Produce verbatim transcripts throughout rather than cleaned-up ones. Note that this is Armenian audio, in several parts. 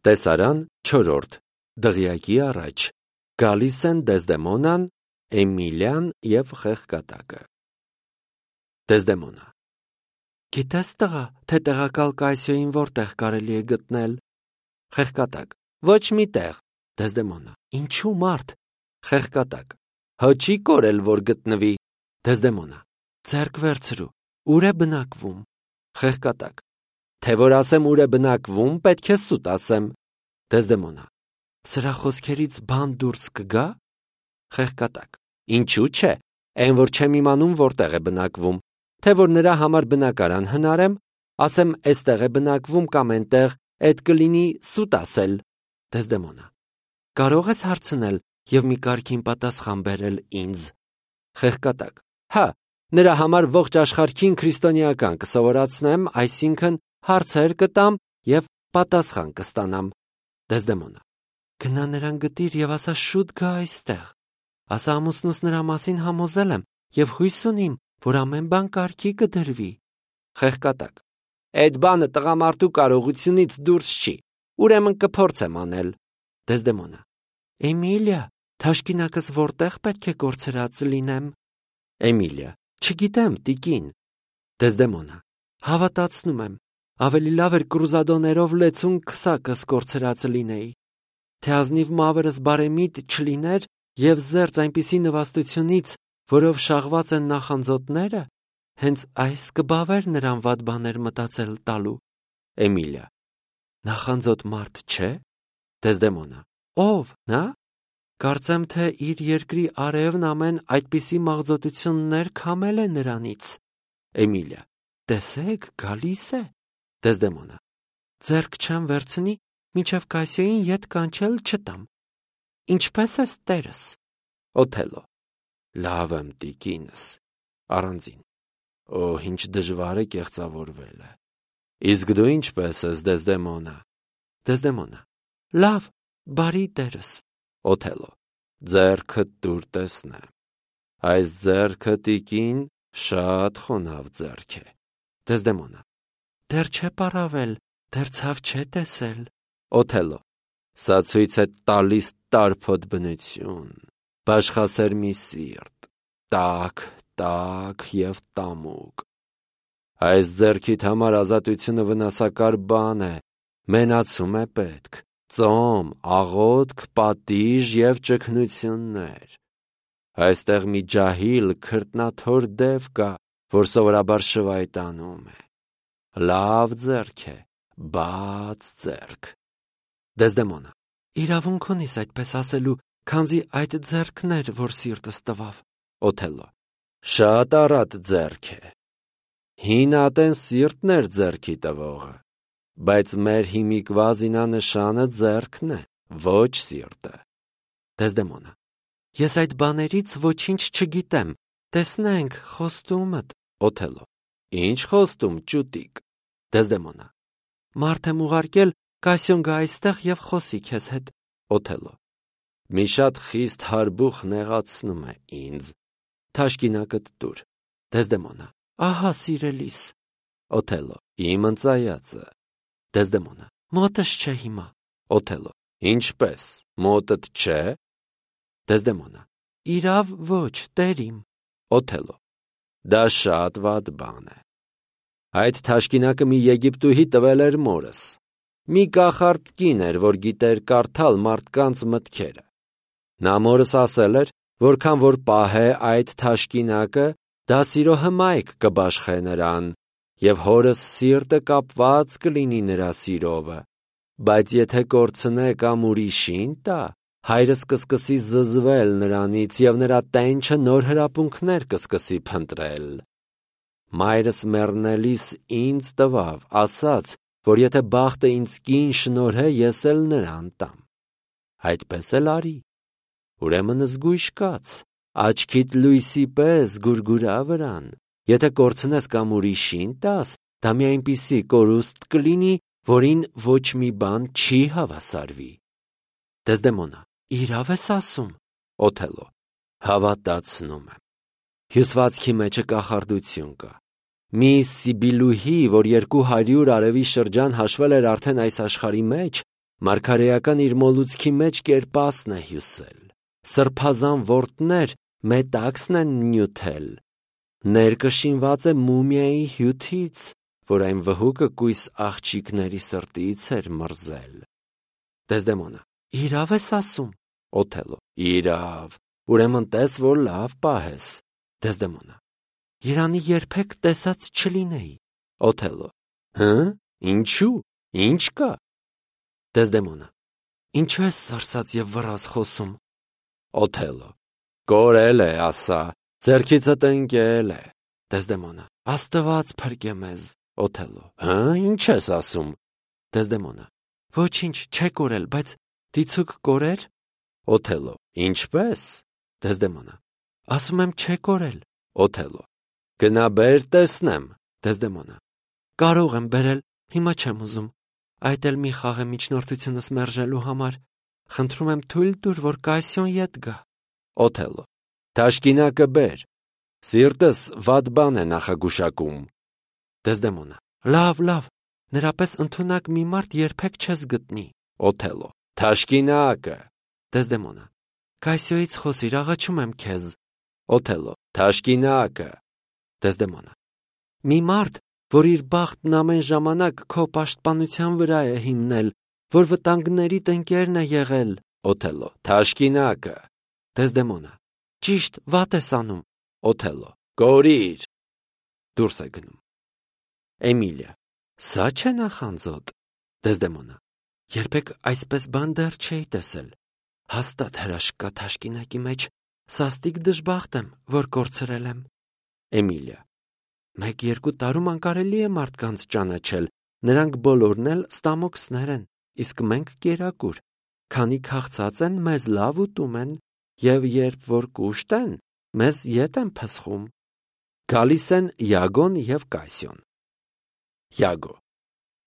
Տեսարան չորրորդ դղյակի առաջ գալիս են Դեզդեմոնան, Էմիլիան և Խեղկատակը։ Դեզդեմոնա. Գիտես տղա, թե տեղակալ Կայսիոյին որտեղ կարելի է գտնել։ Խեղկատակ. Ոչ մի տեղ։ Դեզդեմոնա. Ինչու մարդ։ Խեղկատակ. Հո չի կորել, որ գտնվի։ Դեզդեմոնա. Ձեռք վերցրու, ուր է բնակվում։ Խեղկատակ. Թե որ ասեմ ուր է բնակվում, պետք է սուտ ասեմ։ Դեզդեմոնա. Սրա խոսքերից բան դուրս կգա։ Խեղկատակ. Ինչու՞ չէ, այն որ չեմ իմանում որտեղ է բնակվում, թե որ նրա համար բնակարան հնարեմ, ասեմ էստեղ է բնակվում կամ այնտեղ, այդ կլինի սուտ ասել։ Դեզդեմոնա. Կարող ես հարցնել և մի կարգին պատասխան բերել ինձ։ Խեղկատակ. Հա, նրա համար ողջ աշխարհին քրիստոնեական կսովորացնեմ, այսինքն հարցեր կտամ և պատասխան կստանամ։ Դեզդեմոնա. Գնա նրան գտիր և ասա շուտ գա այստեղ։ Ասա ամուսնուս նրա մասին համոզել եմ և հույս ունիմ, որ ամեն բան կարգի կդրվի։ Խեղկատակ. Այդ բանը տղամարդու կարողությունից դուրս չի, ուրեմն կփորձեմ անել։ Դեզդեմոնա. Էմիլիա, թաշկինակս որտեղ պետք է կորցրած լինեմ։ Էմիլիա. Չգիտեմ, տիկին։ Դեզդեմոնա. Հավատացնում եմ, ավելի լավ էր կրուզադոներով լեցուն քսակս կորցրած լինեի, թե ազնիվ մավերս բարեմիտ չլիներ և զերծ այնպիսի նվաստությունից, որով շաղված են նախանձոտները, հենց այս կբավեր նրան վատ բաներ մտածել տալու։ Էմիլիա. Նախանձոտ մարդ չէ։ Դեզդեմոնա. Ով, նա։ Կարծեմ, թե իր երկրի արևն ամեն այդպիսի մաղձոտություններ քամել է նրանից։ Էմիլիա. Տեսեք, գալիս է։ Դեզդեմոնա. Ձեռք չեմ վերցնի, մինչև Կայսիոյին ետ կանչել չտամ։ Ինչպե՞ս ես տերս։ Օթելլո. Լավ եմ, տիկինս, առանձին։ Օ, ինչ դժվար է կեղծավորվելը։ Իսկ դու ինչպե՞ս ես, Դեզդեմոնա։ Դեզդեմոնա. Լավ, բարի տերս։ Օթելլո. Ձեռքդ տուր տեսնեմ։ Այս ձեռքը, տիկին, շատ խոնավ ձեռք է։ Դեզդեմոնա. Դեռ չէ պարավել, դեռ ցավ չէ տեսել։ Օթելլո. Սա ցույց է տալիս տարփոտ բնություն, բաշխասեր մի սիրտ, տաք, տաք և տամուկ։ Այս ձեռքիդ համար ազատությունը վնասակար բան է, մենացում է պետք, ծոմ, աղոթք, պատիժ և ճգնություններ։ Այստեղ մի ջահիլ քրտնաթոր դև կա, որ սովորաբար շվայտանում է։ Լավ ձեռք է, բաց ձեռք։ Դեզդեմոնա. Իրավունք ունիս այդպես ասելու, քանզի այդ ձեռքն էր, որ սիրտս տվավ։ Օթելլո. Շատ առատ ձեռք է։ Հին ատեն սիրտն էր ձեռքի տվողը, բայց մեր հիմիկվա զինանշանը ձեռքն է, ոչ սիրտը։ Դեզդեմոնա. Ես այդ բաներից ոչինչ չգիտեմ, տեսնենք խոստումդ։ Օթելլո. Ինչ խոստում, ճուտիկ։ Դեզդեմոնա. Մարդ եմ ուղարկել, Կայսիոն գա այստեղ և խոսի քեզ հետ։ Օթելլո. Մի շատ խիստ հարբուխ նեղացնում է ինձ։ Թաշկինակդ տուր։ Դեզդեմոնա. Ահա սիրելիս։ Օթելլո. Իմ ընծայածը։ Դեզդեմոնա. Մոտս չէ հիմա։ Օթելլո. Ինչպես, մոտդ չէ։ Դեզդեմոնա. Իրավ ոչ, տերիմ։ Օթելլո. Դա շատ վատ բան է։ Այդ թաշկինակը մի Եգիպտուհի տվել էր մորս։ Մի կախարդ կին էր, որ գիտեր կարդալ մարդկանց մտքերը։ Նա մորս ասել էր, որքան որ պահե այդ թաշկինակը, դա սիրո հմայք կբաշխե նրան, և հորս սիրտը կապված կլինի նրա սիրովը, բայց եթե կորցնե կամ ուրիշին տա, հայրս կսկսի զզվել նրանից և նրա տենչը նոր հրապունքներ կսկսի փնտրել։ Մայրս մեռնելիս ինձ տվավ, ասաց, որ եթե բախտը ինձ կին շնորհե, ես էլ նրան տամ։ Այդպես էլ արի։ Ուրեմն զգույշ կաց, աչքիդ լույսի պես գուրգուրա վրան։ Եթե կորցնես կամ ուրիշին տաս, դա մի այնպիսի կորուստ կլինի, որին ոչ մի բան չի հավասարվի։ Դեզդեմոնա. Իրավ ես ասում։ Օթելլո. Հավատացնում եմ։ Հյուսվածքի մեջը կախարդություն կա։ Մի Սիբիլուհի, որ երկու հարյուր արևի շրջան հաշվել էր արդեն այս աշխարհի մեջ, Մարգարեական իր մոլուցքի մեջ կերպասն է հյուսել, սրբազան որդներ մետաքսն են նյութել, ներկը շինված է մումիայի հյութից, որ այն վհուկը կույս աղջիկների սրտից էր մրզել։ Դեզդեմոնա. Իրավ ես ասում։ Օթելո. Իրավ, ուրեմն տես, որ լավ պահես։ Դեզդեմոնա. Երանի երբեք տեսած չլինեի։ Օթելո. Հը՞, ինչու, ինչ կա։ Դեզդեմոնա. Ինչու ես սարսած և վռազ խոսում։ Օթելո. Կորել է, ասա, ձեռքիցդ ընկել է։ Դեզդեմոնա. Աստված փրկե մեզ։ Օթելո. Հը, ինչ ես ասում։ Դեզդեմոնա. Ոչինչ, չէ կորել, բայց դիցուք կորեր։ Օթելո. Ինչպես։ Դեզդեմոնա. Ասում եմ չէ կորել։ Օթելո. Գնա բեր տեսնեմ։ Դեզդեմոնա. Կարող եմ բերել, հիմա չեմ ուզում։ Այդ էլ մի խաղ է միջնորդությունս մերժելու համար։ Խնդրում եմ թույլ տուր, որ Կասիոն ետ գա։ Օթելո. Թաշկինակը բեր։ Սիրտս վատ բան է նախագուշակում։ Դեզդեմոնա. Լավ, լավ, նրա պես ընդունակ մի մարդ երբեք չես գտնի։ Օթելո. Թաշկինակը։ Դեզդեմոնա. Կասիոյից խոսիր, աղաչում եմ քեզ։ Օթելո. Թաշկինակը։ Դեզդեմոնա. Մի մարդ, որ իր բախտն ամեն ժամանակ քո պաշտպանության վրա է հիմնել, որ վտանգների տնկերն է եղել։ Օթելո. Թաշկինակը։ Դեզդեմոնա. Ճիշտ, վատ ես անում։ Օթելո. Կորիր։ Դուրս է գնում։ Էմիլիա. Սա չէ նախանձոտ։ Դեզդեմոնա. Երբեք այսպես բան դեռ չէի տեսել։ Հաստատ հրաշք կա թաշկինակի մեջ, սաստիկ դժբախտ եմ, որ կորցրել եմ։ Էմիլիա. Մեկ-երկու տարում անկարելի է մարդկանց ճանաչել, նրանք բոլորն էլ ստամոքսներ են, իսկ մենք կերակուր, քանի քաղցած են, մեզ լավ ուտում են, և երբ որ կուշտ են, մեզ ետ են փսխում։ Գալիս են Յագոն և Կասիոն։ Յագո.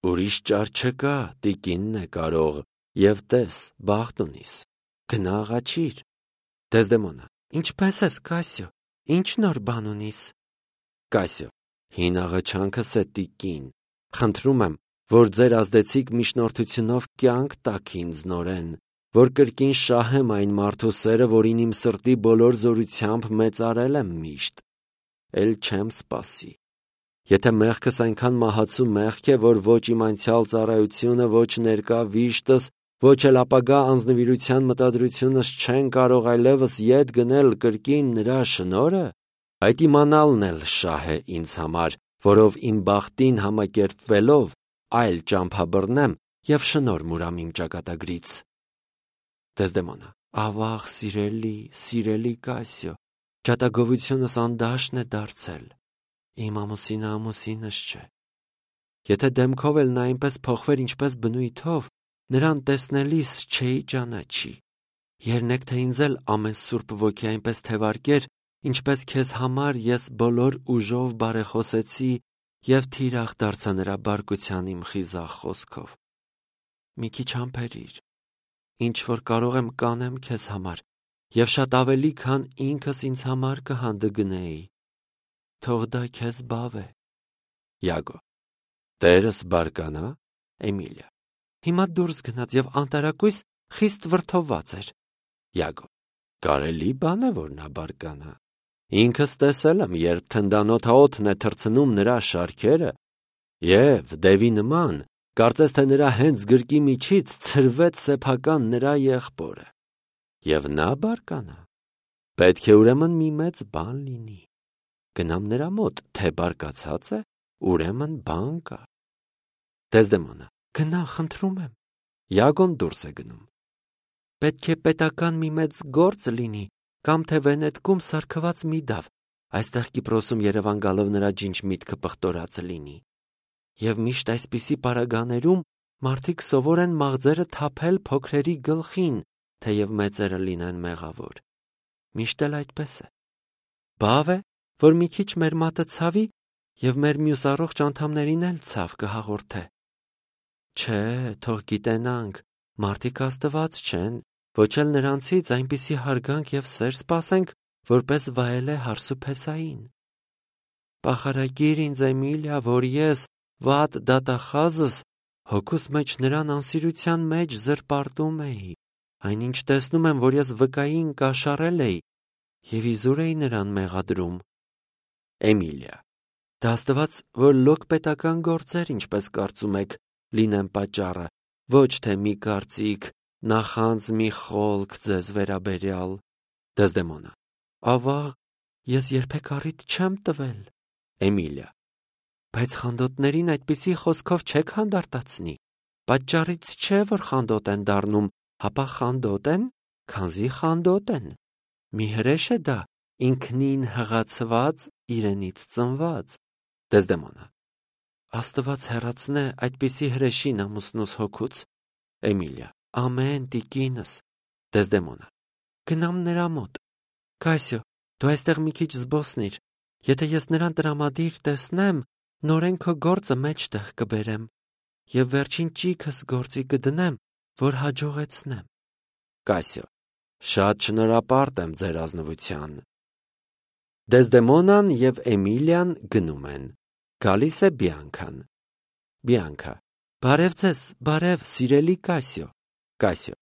Ուրիշ ճար չկա, տիկինն է կարող, և տես, բախտ ունիս, գնա աղաչիր։ Դեզդեմոնա. Ինչպես ես, Կասիո, ինչ նոր բան ունիս։ Կասիո. Հին աղաչանքս է, տիկին, խնդրում եմ, որ ձեր ազդեցիկ միջնորդությունով կյանք տաք ինձ նորեն, որ կրկին շահեմ այն մարդու սերը, որին իմ սրտի բոլոր զորությամբ մեծարել եմ միշտ։ Էլ չեմ սպասի։ Եթե մեղքս այնքան մահացու մեղք է, որ ոչ իմ անցյալ ծառայությունը, ոչ ներկա վիշտս, ոչ էլ ապագա անձնվիրության մտադրությունս չեն կարող այլևս ետ գնել կրկին նրա շնորհը, այդ իմանալն էլ շահ է ինձ համար, որով իմ բախտին համակերպվելով այլ ճամփա բռնեմ և շնորհ մուրամ իմ ճակատագրից։ Դեզդեմոնա. Ավաղ, սիրելի, սիրելի Կասիո, ջատագովությունս անդաշն է դարձել։ Իմ ամուսինը ամուսինս չէ։ Եթե դեմքով էլ նա այնպես փոխվեր, ինչպես բնույթով, նրան տեսնելիս չէի ճանաչի։ Երնեք թե ինձ էլ ամեն սուրբ ոգի այնպես թևարկեր, ինչպես քեզ համար ես բոլոր ուժով բարեխոսեցի և թիրախ դարձա նրա բարկության իմ խիզախ խոսքով։ Մի քիչ համբերիր, ինչ որ կարող եմ կանեմ քեզ համար, և շատ ավելի, քան ինքս ինձ համար կհանդգնեի։ Թող դա քեզ բավ է։ Յագո. Տերս բարկանա։ Էմիլիա. Հիմա դուրս գնաց և անտարակույս խիստ վրդովված էր։ Յագո. Կարելի բան է, որ նա բարկանա։ Ինքս տեսել եմ, երբ թնդանոթաօդն է թռցնում նրա շարքերը, և դևի նման, կարծես թե նրա հենց գրկի միջից ցրվեց սեփական նրա եղբորը։ Եվ նա բարկանա։ Պետք է ուրեմն մի մեծ բան լինի։ Գնամ նրա մոտ, թե բարկացած է, ուրեմն բան կա։ Դեզդեմոնա. Գնա, խնդրում եմ։ Յագոն դուրս է գնում։ Պետք է պետական մի մեծ գործ լինի, կամ թե Վենետկում սարքված մի դավ, այստեղ Կիպրոսում Երևան գալով նրա ջինջ միտքը պղտորած լինի։ Եվ միշտ այսպիսի պարագաներում մարդիկ սովոր են մաղձերը թափել փոքրերի գլխին, թեև մեծերը լինեն մեղավոր։ Միշտ էլ այդպես է։ Բավ է, որ մի քիչ մեր մատը ցավի և մեր մյուս առողջ անդամներին էլ ցավ կհաղորդե։ Չէ, թող գիտենանք, մարդիկ աստված չեն, ոչ էլ նրանցից այնպիսի հարգանք և սեր սպասենք, որպես վայել է հարսուփեսային։ Պախարակիր ինձ, Էմիլիա, որ ես, վատ դատախազս, Հոգուս մեջ նրան անսիրության մեջ զրպարտում էի, այնինչ տեսնում եմ, որ ես վկային կաշառել էի և իզուր էի նրան մեղադրում։ Էմիլիա. Դա աստված, որ լոկ պետական գործեր, ինչպես կարծում եք, լինեն պատճառը, ոչ թե մի կարծիք, նախանձ մի խոլք ձեզ վերաբերյալ։ Դեզդեմոնա. Ավաղ, ես երբեք առիթ չեմ տվել։ Էմիլիա. Բայց խանդոտներին այդպիսի խոսքով չեք հանդարտացնի։ Պատճառից չէ, որ խանդոտ են դառնում, հապա խանդոտ են, քանզի խանդոտ են։ Մի հրեշ է դա, ինքնին հղացված, իրենից ծնված։ Դեզդեմոնա. Աստված հեռացնե այդպիսի հրեշին ամուսնուս հոգուց։ Էմիլիա. Ամեն, տիկինս։ Դեզդեմոնա. Գնամ նրա մոտ։ Կասիո, դու այստեղ մի քիչ զբոսնիր։ Եթե ես նրան տրամադիր տեսնեմ, նորեն քո գործը մեջտեղ կբերեմ և վերջին ճիգս գործի կդնեմ, որ հաջողեցնեմ։ Կասիո. Շատ շնորհապարտ եմ ձեր ազնվության։ Դեզդեմոնան և Էմիլիան գնում են։ Գալիս է Բիանքան։ Բիանքա. Բարև ձեզ, բարև, սիրելի Կասիո։ Կասիո.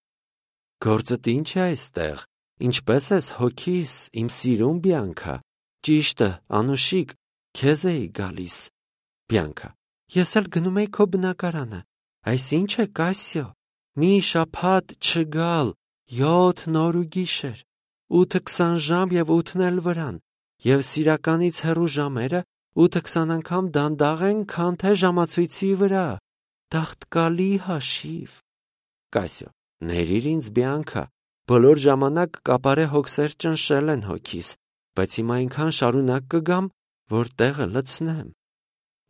Գործդ ինչ է այստեղ, ինչպես ես հոգիս, իմ սիրուն Բիանքա։ Ճիշտը, անուշիկ, քեզ էի գալիս։ Բիանքա. Ես էլ գնում էի քո բնակարանը։ Այս ինչ է, Կասիո, մի շաբաթ չգալ, յոթ նոր ու գիշեր, ութը քսան ժամ և ութն էլ վրան, և սիրականից հեռու ժամերը ութը քսան անգամ դանդաղ են, քան թե ժամացույցի վրա։ Տաղտկալի հաշիվ։ Կասիո. Ներիր ինձ, Բիանքա, բոլոր ժամանակ կապարե հոգսեր ճնշել են հոգիս, բայց հիմա այնքան շարունակ կգամ, որ տեղը լցնեմ։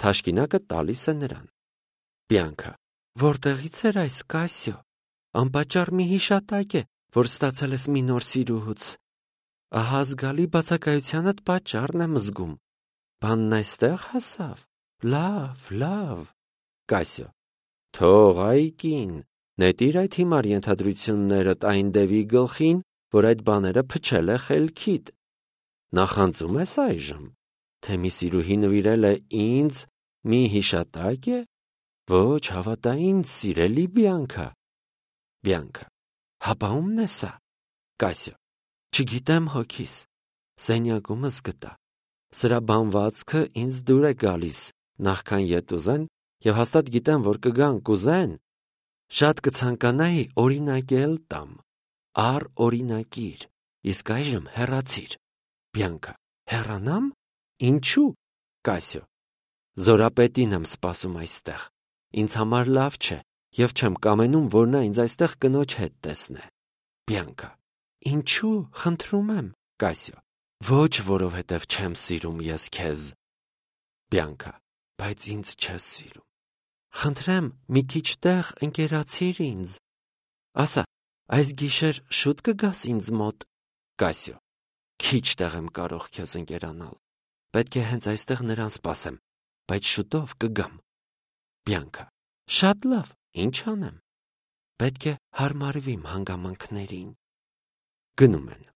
Թաշկինակը տալիս է նրան։ Բիանքա. Որտեղից էր այս, Կասիո։ Անպատճառ մի հիշատակ է, որ ստացել ես մի նոր սիրուհուց։ Ահա զգալի բացակայությանդ պատճառն եմ զգում։ Բանն այստեղ հասավ։ Լավ, լավ։ Կասիո. Թող այ կին, նետիր այդ հիմար ենթադրություններդ այն դևի գլխին, որ այդ բաները փչել է խելքիդ։ Նախանձում ես այժմ, թե մի սիրուհի նվիրել է ինձ մի հիշատակ է։ Ոչ, հավատա ինձ, սիրելի Բիանքա։ Բիանքա. Հապա ումն է սա։ Կասիո. Չգիտեմ հոգիս, սենյակումս գտա։ Սրա բանվածքը ինձ դուր է գալիս, նախքան ետ ուզեն, և հաստատ գիտեմ, որ կգան կուզեն, շատ կցանկանայի օրինակել տամ, առ օրինակիր, իսկ այժմ հեռացիր։ Բիանքա. Հեռանամ։ Ինչու։ Կասիո. Զորապետին եմ սպասում այստեղ, ինձ համար լավ չէ, և չեմ կամենում, որ նա ինձ այստեղ կնոջ հետ տեսնե։ Բիանքա. Ինչու, խնդրում եմ։ Կասիո. Ոչ, որովհետև չեմ սիրում ես քեզ։ Բիանքա. Բայց ինձ չես սիրում։ Խնդրեմ, մի քիչ տեղ ընկերացիր ինձ։ Ասա, այս գիշեր շուտ կգաս ինձ մոտ։ Կասիո. Քիչ տեղ եմ կարող քեզ ընկերանալ։ Պետք է հենց այստեղ նրան սպասեմ, բայց շուտով կգամ։ Բիանքա. Շատ լավ, ինչ անեմ։ Պետք է հարմարվիմ հանգամանքներին։ Գնում են։